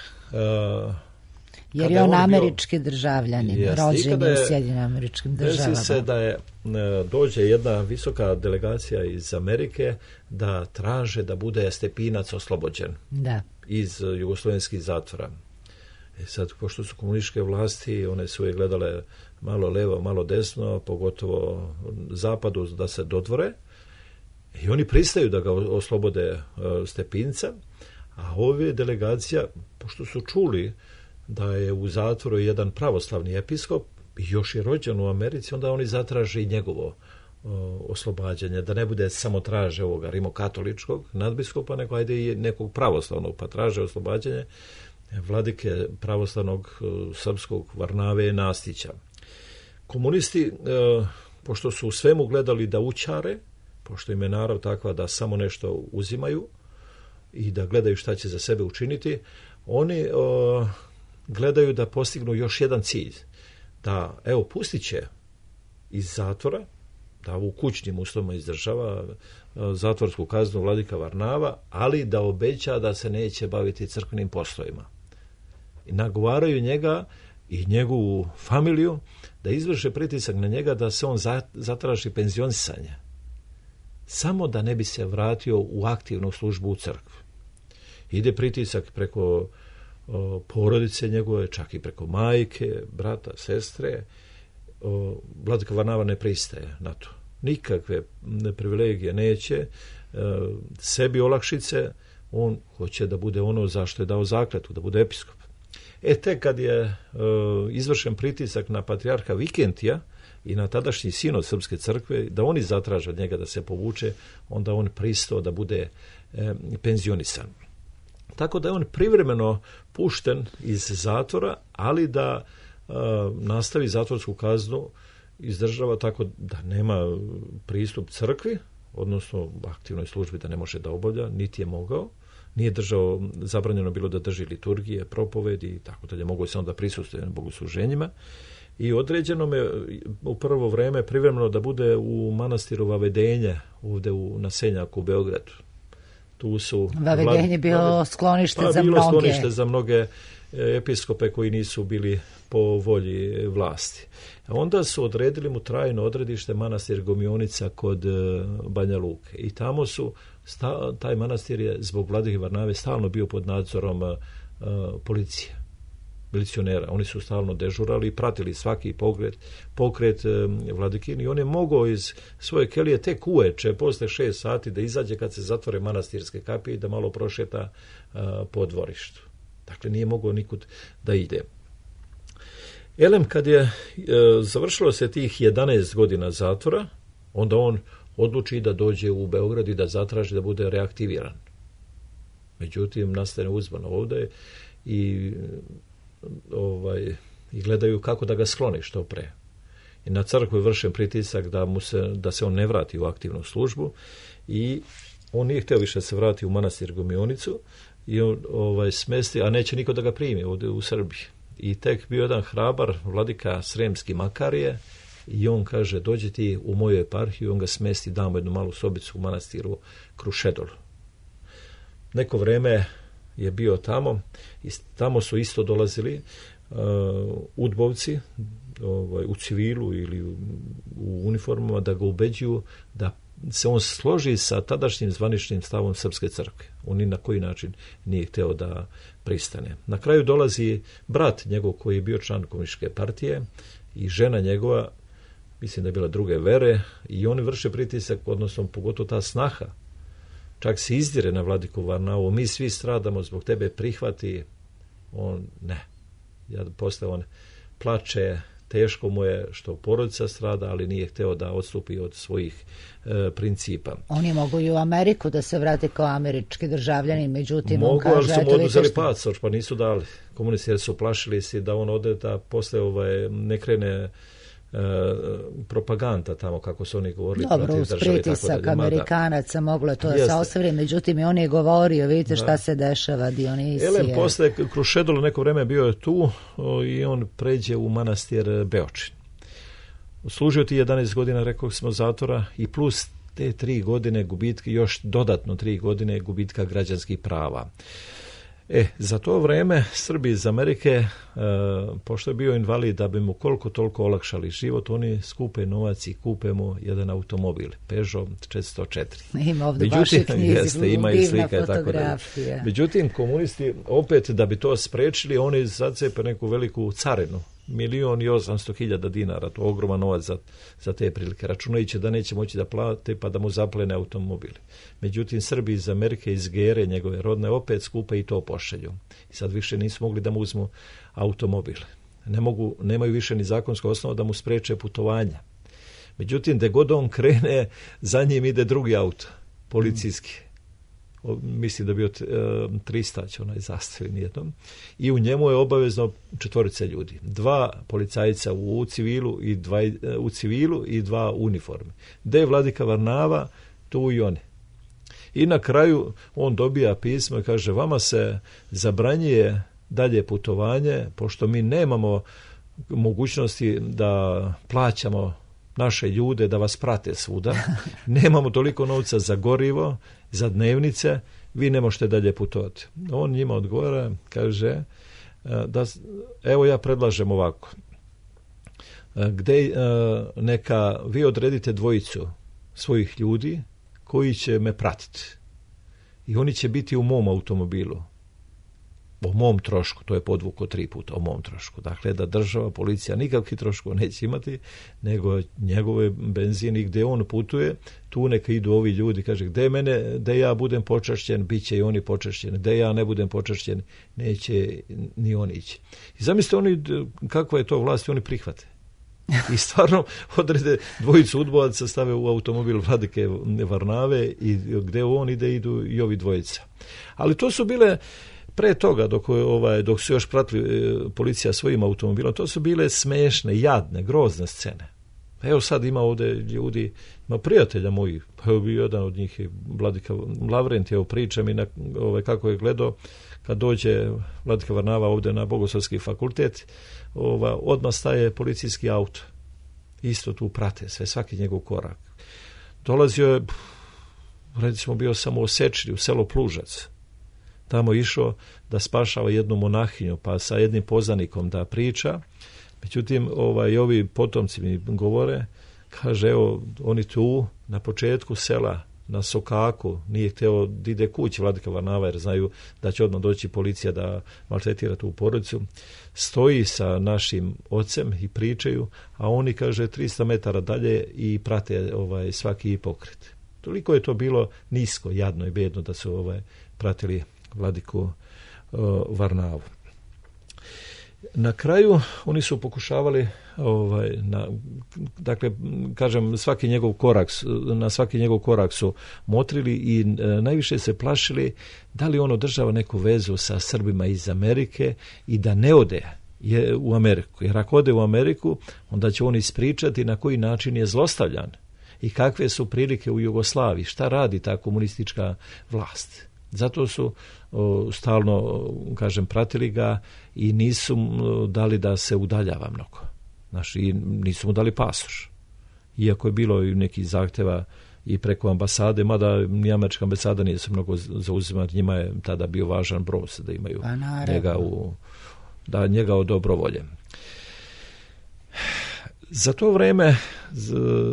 jer je on američki državljanin, rođen je u Sjedinim Američkim Državama. Desi se da dođe jedna visoka delegacija iz Amerike da traže da bude Stepinac oslobođen iz jugoslovenskih zatvora. Sad, pošto su komunističke vlasti, one su je gledale malo levo, malo desno, pogotovo zapadu, da se dodvore, i oni pristaju da ga oslobode Stepinca, a ove delegacija, pošto su čuli da je u zatvoru jedan pravoslavni episkop i još je rođen u Americi, onda oni zatraže i njegovo oslobađanje, da ne bude samo traže ovoga rimokatoličkog nadbiskupa, nego ajde i nekog pravoslavnog, pa traže oslobađanje vladike pravoslavnog srpskog Varnave Nastića. Komunisti, pošto su u svemu gledali da učare, pošto im je narav takva da samo nešto uzimaju i da gledaju šta će za sebe učiniti, oni gledaju da postignu još jedan cilj, da pustit će iz zatvora, da u kućnim uslovima izdržava zatvorsku kaznu vladika Varnava, ali da obeća da se neće baviti crkvenim poslovima. I nagovaraju njega i njegovu familiju da izvrše pritisak na njega da se on zatraži penzionisanje, samo da ne bi se vratio u aktivnu službu u crkvi. Ide pritisak preko porodice njegove, čak i preko majke, brata, sestre. Vladika Varnava ne pristaje na to. Nikakve privilegije neće, sebi olakšice, on hoće da bude ono zašto je dao zakletvu, da bude episkop. Tek kad je izvršen pritisak na patrijarha Vikentija i na tadašnji sinod Srpske crkve, da oni zatraže od njega da se povuče, onda on pristao da bude penzionisan. Tako da je on privremeno pušten iz zatvora, ali da nastavi zatvorsku kaznu, izdržava tako da nema pristup crkvi, odnosno aktivnoj službi da ne može da obavlja, niti je mogao. Nije držao, zabranjeno bilo da drži liturgije, propovedi i tako dalje, mogo je samo da prisustvuje na bogosluženjima. I određeno me u prvo vreme privremeno da bude u manastiru Vavedenje, ovde u Nasenjaku u Beogradu. Tu su Vavedenje bilo sklonište za mnoge. Bilo sklonište za mnoge episkope koji nisu bili po volji vlasti. Onda su odredili mu trajno odredište manastir Gomionica kod Banja Luke. I tamo su, taj manastir je zbog Vladike Varnave stalno bio pod nadzorom policije, milicionera. Oni su stalno dežurali i pratili svaki pokret Vladikin i on je mogao iz svoje kelije tek uveče, posle 6 sati da izađe kad se zatvore manastirske kapije i da malo prošeta po dvorištu. Dakle, nije mogao nikud da ide. Elem, kad je završilo se tih 11 godina zatvora, onda on odluči da dođe u Beograd i da zatraži da bude reaktiviran. Međutim, nastane uzban ovde i gledaju kako da ga skloni što pre. I na crkvu je vršen pritisak da se on ne vrati u aktivnu službu i on nije htio više se vrati u manastir Gomionicu i on smesti, a neće niko da ga primi ovdje u Srbiji. I tek bio jedan hrabar, vladika Sremski Makarije, i on kaže, dođi ti u moju eparhiju, on ga smesti, damo jednu malu sobicu u manastiru Krušedol. Neko vreme je bio tamo i tamo su isto dolazili udbovci u civilu ili u uniformama da ga ubeđuju da se on složi sa tadašnjim zvaničnim stavom Srpske crkve. On ni na koji način nije hteo da pristane. Na kraju dolazi brat njegov koji je bio član komunističke partije i žena njegova, mislim da je bila druge vere, i oni vrše pritisak, odnosno pogotovo ta snaha. Čak se izdire na Vladiku Varnavu, mi svi stradamo zbog tebe, prihvati. On ne. Posle on plače, teško mu je što porodica strada, ali nije hteo da odstupi od svojih principa. Oni mogu i u Ameriku da se vrate kao američki državljani, međutim mogu, on kaže... ali su mu oduzeli pasoš, pa nisu dali. Komunisti su plašili se da on ode, da posle ne krene propaganda tamo, kako su oni govorili. Dobro, uz pritisak Amerikanaca moglo je to da se ostvari, međutim i on je govorio, vidite šta se dešava, Dionisije. Elem, posle Krušedolo neko vreme bio je tu i on pređe u manastir Beočin. Služio ti 11 godina, rekao smo, zatvora i plus te 3 godine gubitka, još dodatno 3 godine gubitka građanskih prava. Za to vreme Srbi iz Amerike, pošto je bio invalid, da bi mu koliko toliko olakšali život, oni skupe novac i kupe mu jedan automobil, Peugeot 404. Ima ovdje vaše knjizi, ima i slika, fotografija. Međutim, komunisti, opet da bi to sprečili, oni zacepe neku veliku carinu, 1.800.000 dinara, to je ogroman novac za te prilike, računajući da neće moći da plate pa da mu zaplene automobili. Međutim, Srbi iz Amerike, iz Gere, njegove rodne, opet skupe i to pošalju. I sad više nisu mogli da mu uzmu automobil. Nemaju više ni zakonsko osnovu da mu spreče putovanja. Međutim, gde god on krene, za njim ide drugi auto, policijski. Mislim da je bio 300 će onaj zastavi nijednom. I u njemu je obavezno 4 ljudi. 2 policajca u civilu i 2 u uniformi. Gde je Vladika Varnava, tu i oni. I na kraju on dobija pismo i kaže, vama se zabranjuje dalje putovanje, pošto mi nemamo mogućnosti da plaćamo naše ljude da vas prate svuda. Nemamo toliko novca za gorivo, za dnevnice, vi ne možete dalje putovati. On njima odgovara, kaže, evo ja predlažem ovako. Neka vi odredite 2 svojih ljudi koji će me pratiti. I oni će biti u mom automobilu. o mom trošku, to je podvuko 3 puta, o mom trošku. Dakle, da država, policija nikakvih troškova neće imati, nego njegove benzini gdje on putuje, tu neka idu ovi ljudi, kaže, gdje ja budem počašćen, bit će i oni počašćeni, gdje ja ne budem počašćen, neće ni oni ići. I zamislite oni, kakva je to vlast, oni prihvate. I stvarno odrede 2 udbovaca, stave u automobil Vladike Varnave i gdje on ide, idu i ovi 2. Ali to su bile, pre toga, dok su još pratili policija svojim automobilom, to su bile smešne, jadne, grozne scene. Evo sad ima ovdje ljudi, ima prijatelja mojih, pa evo bio jedan od njih je Vladika Lavrent, evo priča mi kako je gledao kad dođe Vladika Varnava ovdje na Bogoslovski fakultet, odmah staje policijski auto. Isto tu prate sve, svaki njegov korak. Dolazio je, recimo bio samo u Sečri, u selo Plužac. Tamo išao da spašava jednu monahinju, pa sa jednim poznanikom da priča. Međutim, ovi potomci mi govore, kaže, evo, oni tu na početku sela, na Sokaku, nije htio da ide kući Vladika Varnava, jer znaju da će odmah doći policija da maltretira tu porodicu. Stoji sa našim ocem i pričaju, a oni, kaže, 300 metara dalje i prate svaki pokret. Toliko je to bilo nisko, jadno i bedno da su pratili Vladiku Varnavu. Na kraju oni su pokušavali dakle, kažem, na svaki njegov korak su motrili i najviše se plašili da li on održava neku vezu sa Srbima iz Amerike i da ne ode u Ameriku. Jer ako ode u Ameriku, onda će on ispričati na koji način je zlostavljan i kakve su prilike u Jugoslaviji, šta radi ta komunistička vlast. Zato su stalno, kažem, pratili ga i nisu mu dali da se udaljava mnogo. I nisu mu dali pasoš. Iako je bilo i nekih zahtjeva i preko ambasade, mada ni američka ambasada nije se mnogo zauzimati, njima je tada bio važan brod da imaju njega od dobrovolje. Za to vrijeme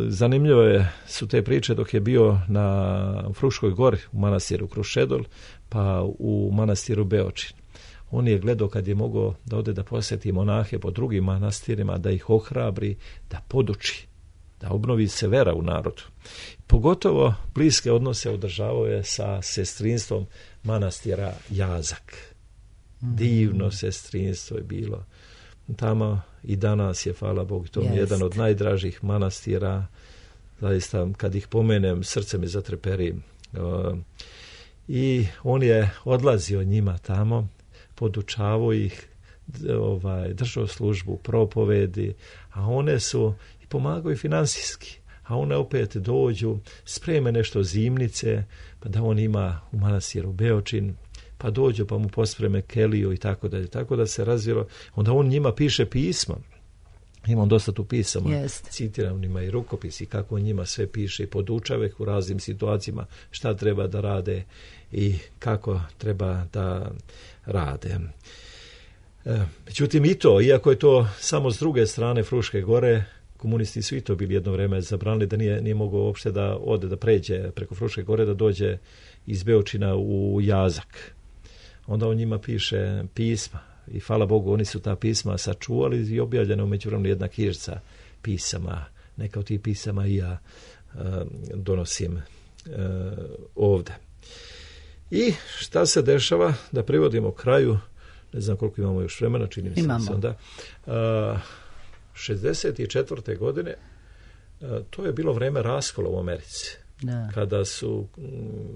zanimljivo su te priče dok je bio na Fruškoj gori u manastiru Krušedol, pa u manastiru Beočin. On je gledao kad je mogao da ode da posjeti monahe po drugim manastirima, da ih ohrabri, da poduči, da obnovi se vera u narodu. Pogotovo bliske odnose održavao je sa sestrinstvom manastira Jazak. Divno sestrinstvo je bilo. Tamo i danas je, hvala Bogu, to je jedan od najdražih manastira. Zaista, kad ih pomenem, srce mi zatreperi. I on je odlazio njima tamo, podučavao ih, držao službu, propovedi, a one su i pomagaju finansijski. A one opet dođu, spreme nešto zimnice, pa da on ima u manastiru Beočin, pa dođu pa mu pospreme keliju i tako dalje. Tako da se razvilo. Onda on njima piše pisma. Imam dosta tu pisama. Citiram njima i rukopisi kako on njima sve piše i podučava ih u raznim situacijama šta treba da rade i kako treba da rade. Međutim i to, iako je to samo s druge strane Fruške gore, komunisti su i to bili jedno vrijeme zabranili da nije mogao uopšte da ode, da pređe preko Fruške gore, da dođe iz Beočina u Jazak. Onda on njima piše pisma i hvala Bogu oni su ta pisma sačuvali i objavljena u međuvremenu jedna knjižica pisama. Neka od tih pisama i ja donosim ovdje. I šta se dešava? Da privodimo kraju, ne znam koliko imamo još vremena, čini mi se onda. 64. godine to je bilo vreme raskola u Americi. Da. Kada su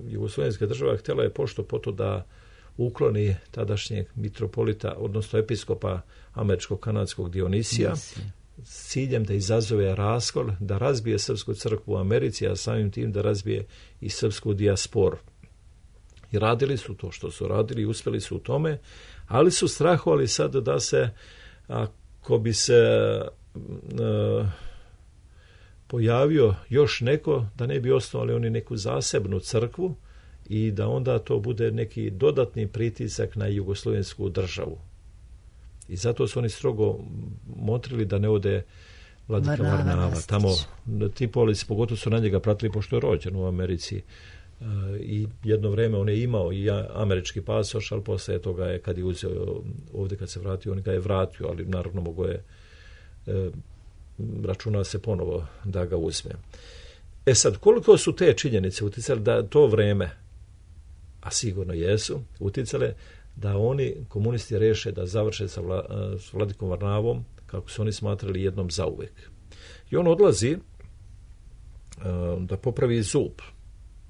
jugoslovenska država htjela je pošto poto da ukloni tadašnjeg mitropolita, odnosno episkopa američko-kanadskog Dionisija, s ciljem da izazove raskol, da razbije srpsku crkvu u Americi, a samim tim da razbije i srpsku dijasporu. I radili su to što su radili i uspjeli su u tome, ali su strahovali sad da se, ako bi se pojavio još neko, da ne bi osnovali oni neku zasebnu crkvu i da onda to bude neki dodatni pritisak na jugoslovensku državu. I zato su oni strogo motrili da ne ode Vladika Varnava. Tamo ti polici, pogotovo su na njega pratili, pošto je rođen u Americi, I jedno vreme on je imao i američki pasoš, ali poslije toga je, kad je uzeo ovdje, kad se vratio, on ga je vratio, ali naravno mogo je, računa se ponovo da ga uzme. Sad, koliko su te činjenice uticale da to vreme, a sigurno jesu, uticale da oni, komunisti, reše da završe sa Vladikom Varnavom, kako su oni smatrali, jednom zauvek. I on odlazi da popravi zub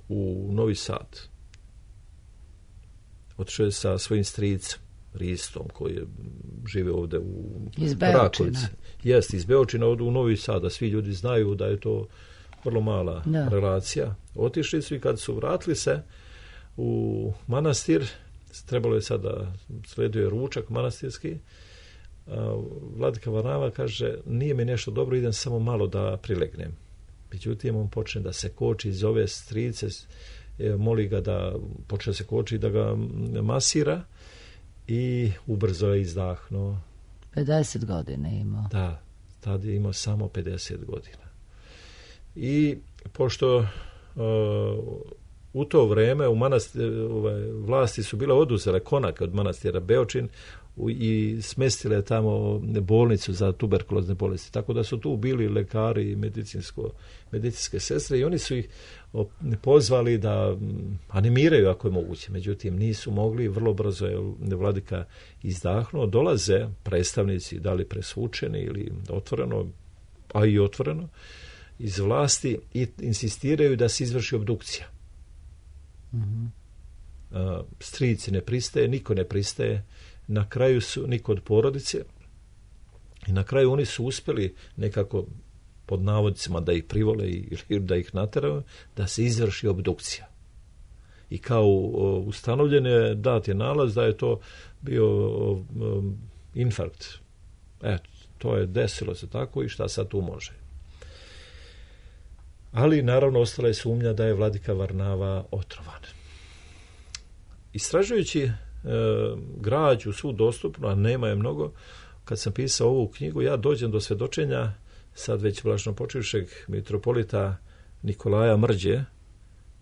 u Novi Sad. Otišao je sa svojim stricem, Ristom, koji je žive ovdje u Rakovici. Jeste, iz Beočina u Novi Sad, da svi ljudi znaju da je to vrlo mala relacija. Otišli su i kad su vratili se u manastir, trebalo je sada, sledio je ručak manastirski, Vladika Varnava kaže, nije mi nešto dobro, idem samo malo da prilegnem. Međutim, on počne da se koči iz ove strice, moli ga da počne se koči, da ga masira i ubrzo je izdahnuo. 50 godina imao. Da, tad je imao samo 50 godina. I pošto u to vreme vlasti su bile oduzele konak od manastira Beočin i smestile tamo bolnicu za tuberkulozne bolesti. Tako da su tu bili lekari i medicinske sestre i oni su ih pozvali da animiraju ako je moguće. Međutim, nisu mogli, vrlo brzo je Vladika izdahnuo. Dolaze predstavnici, da li presvučeni ili otvoreno, a i otvoreno, iz vlasti i insistiraju da se izvrši obdukcija. Mm-hmm. Strici ne pristaje, niko ne pristaje, na kraju su niko od porodice i na kraju oni su uspjeli nekako pod navodicima da ih privole ili da ih nateraju, da se izvrši obdukcija. I kao ustanovljen je, dat je nalaz da je to bio infarkt. To je desilo se tako i šta sad tu može. Ali naravno ostala je sumnja da je Vladika Varnava otrovan. Istražujući građu svu dostupnu, a nema je mnogo, kad sam pisao ovu knjigu, ja dođem do svjedočenja sad već blaženopočivšeg mitropolita Nikolaja Mrđe,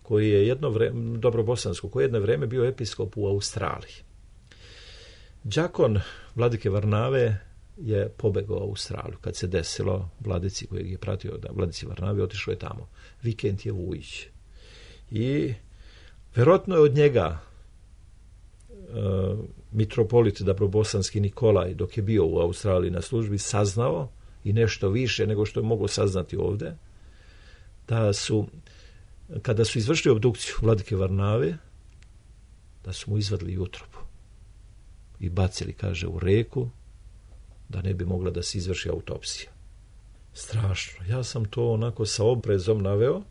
koji je dobrobosansko, koji je jedno vrijeme bio episkop u Australiji. Đakon Vladike Varnave je pobegao u Australiju. Kad se desilo, Vladici kojeg je pratio, da Vladici Varnavi, otišao je tamo. Vikentije Vujić. I vjerojatno je od njega mitropolit dobrobosanski Nikolaj, dok je bio u Australiji na službi, saznao i nešto više nego što je mogao saznati ovdje, da su, kada su izvršili obdukciju Vladike Varnave, da su mu izvadili utrobu i bacili, kaže, u reku, da ne bi mogla da se izvrši autopsija. Strašno. Ja sam to onako sa oprezom naveo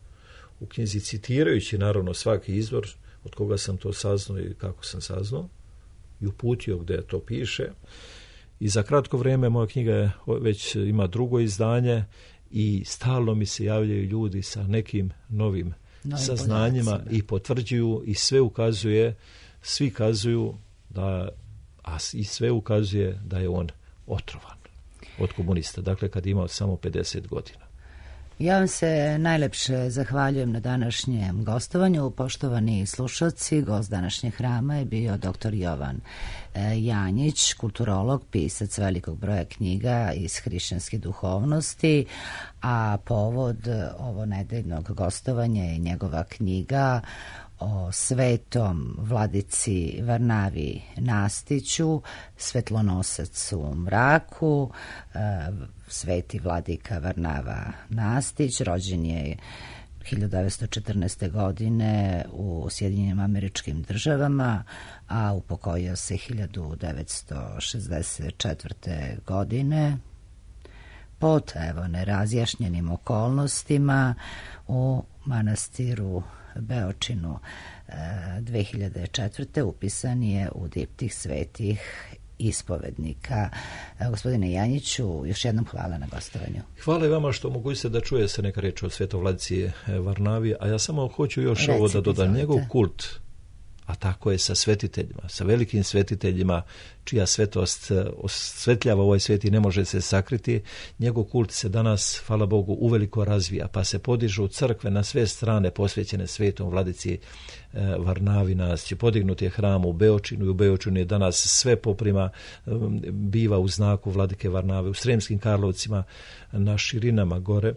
u knjizi, citirajući naravno svaki izvor od koga sam to saznao i kako sam saznao i uputio gdje to piše. I za kratko vrijeme moja knjiga već ima drugo izdanje i stalno mi se javljaju ljudi sa nekim novim saznanjima i potvrđuju i sve ukazuje, svi kazuju da, i sve ukazuje da je on otrovan od komunista. Dakle, kad je imao samo 50 godina. Ja vam se najlepše zahvaljujem na današnjem gostovanju. Poštovani slušalci, gost današnjeg hrama je bio dr. Jovan Janjić, kulturolog, pisac velikog broja knjiga iz hrišćanske duhovnosti, a povod ovo nedeljnog gostovanja je njegova knjiga o svetom Vladici Varnavi Nastiću, svetlonosac u mraku. Sveti Vladika Varnava Nastić rođen je 1914. godine u Sjedinjenim Američkim Državama, a upokojio se 1964. godine pod nerazjašnjenim okolnostima u manastiru Beočinu. 2004. upisan je u diptih svetih ispovednika. Gospodine Janjiću, još jednom hvala na gostovanju. Hvala i vama što mogućete da čuje se neka riječ o svetovladici Varnavi, a ja samo hoću još ovo da dodam. Njegov kult, a tako je sa svetiteljima, sa velikim svetiteljima čija svetost osvetljava ovaj svijet i ne može se sakriti. Njegov kult se danas, hvala Bogu, uveliko razvija, pa se podižu crkve na sve strane posvećene svetom vladici Varnavi. Nas će podignuti je hram u Beočinu i u Beočinu je danas sve poprima biva u znaku vladike Varnave. U Sremskim Karlovcima na širinama gore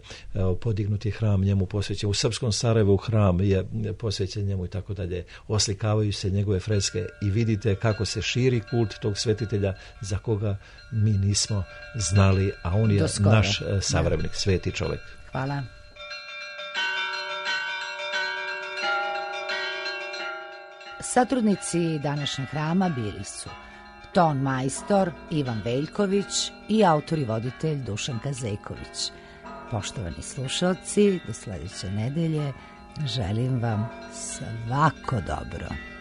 podignuti je hram njemu posvećen. U Srpskom Sarajevu hram je posvećen njemu i tako dalje. Oslikavaju se njegove freske i vidite kako se širi kult tog svetitelja za koga mi nismo znali, a on je naš savremenik, sveti čovjek. Hvala. Satrudnici današnjeg hrama bili su ton majstor Ivan Veljković i autor i voditelj Dušan Kazejković. Poštovani slušalci, do sljedeće nedelje želim vam svako dobro.